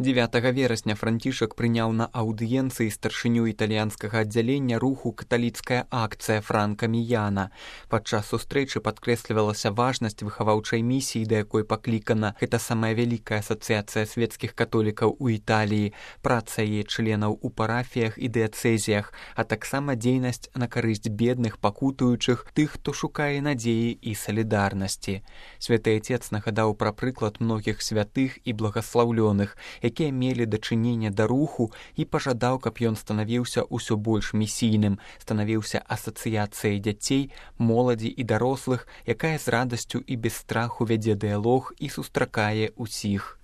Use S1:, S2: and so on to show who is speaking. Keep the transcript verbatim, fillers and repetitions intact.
S1: дзевятага верасня Францішак прыняў на аўдыенцыі старшыню італьянскага аддзялення руху каталіцкая акцыя Франка Міяна. Падчас сустрэчы падкрэслівалася важнасць выхаваўчай місіі, да якой паклікана гэта самая вялікая асацыяцыя свецкіх католікаў у Італіі, праца яе членаў у парафіях і дыяцэзіях, а таксама дзейнасць на карысць бедных, пакутуючых, тых, хто шукае надзеі і салідарнасці. Святы Отец нагадаў пра прыклад многіх святых і благаслаўлёных, якія мелі дачыненне да руху, і пажадаў, каб ён станавіўся ўсё больш місійным, станавіўся асацыяцыяй дзяцей, моладзі і дарослых, якая з радасцю і без страху вядзе дыялог і сустракае ўсіх